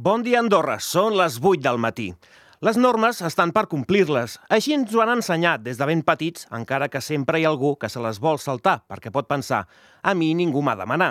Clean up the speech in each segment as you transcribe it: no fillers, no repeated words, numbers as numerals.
Bon dia, Andorra. Són les 8 del matí. Les normes estan per complir-les. Així ens ho han ensenyat des de ben petits, encara que sempre hi ha algú que se les vol saltar, perquè pot pensar «a mi ningú m'ha de manar».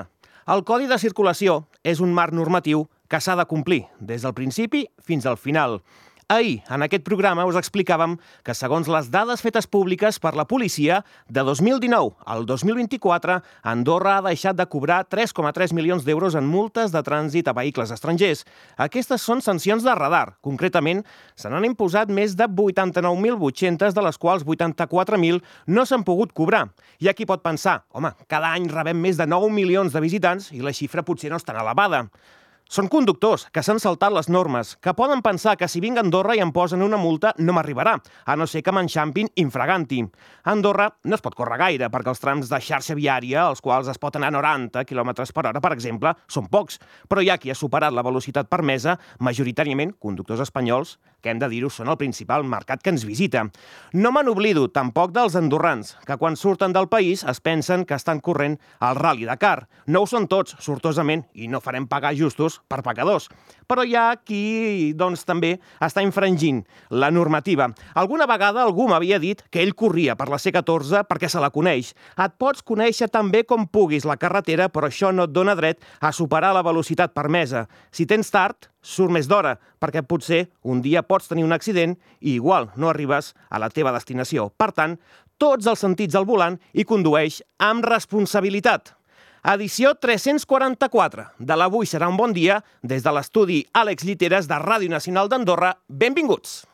El Codi de Circulació és un marc normatiu que s'ha de complir, des del principi fins al final. Ahir, en aquest programa, us explicàvem que, segons les dades fetes públiques per la policia, de 2019 al 2024, Andorra ha deixat de cobrar 3,3 milions d'euros en multes de trànsit a vehicles estrangers. Aquestes són sancions de radar. Concretament, se n'han imposat més de 89.800, de les quals 84.000 no s'han pogut cobrar. Hi ha qui pot pensar, home, cada any rebem més de 9 milions de visitants i la xifra potser no és tan elevada. Són conductors que s'han saltat les normes, que poden pensar que si vinc a Andorra i em posen una multa no m'arribarà, a no ser que m'enxampin infraganti. A Andorra no es pot córrer gaire, perquè els trams de xarxa viària, als quals es pot anar a 90 km per hora, per exemple, són pocs. Però hi ha qui ha superat la velocitat permesa, majoritàriament conductors espanyols, que hem de dir-ho són el principal mercat que ens visita. No me n'oblido tampoc dels andorrans, que quan surten del país es pensen que estan corrent al Rally Dakar. No ho són tots, sortosament, i no farem pagar justos per pecadors. Però hi ha qui, doncs, també està infringint la normativa. Alguna vegada algú m'havia dit que ell corria per la C14 perquè se la coneix. Et pots conèixer tan bé com puguis la carretera, però això no et dona dret a superar la velocitat permesa. Si tens tard, surt més d'hora, perquè potser un dia pots tenir un accident i igual no arribes a la teva destinació. Per tant, tots els sentits al volant i condueix amb responsabilitat. Edició 344 de l'Avui serà un bon dia, des de l'estudi Àlex Lliteres de Ràdio Nacional d'Andorra. Benvinguts!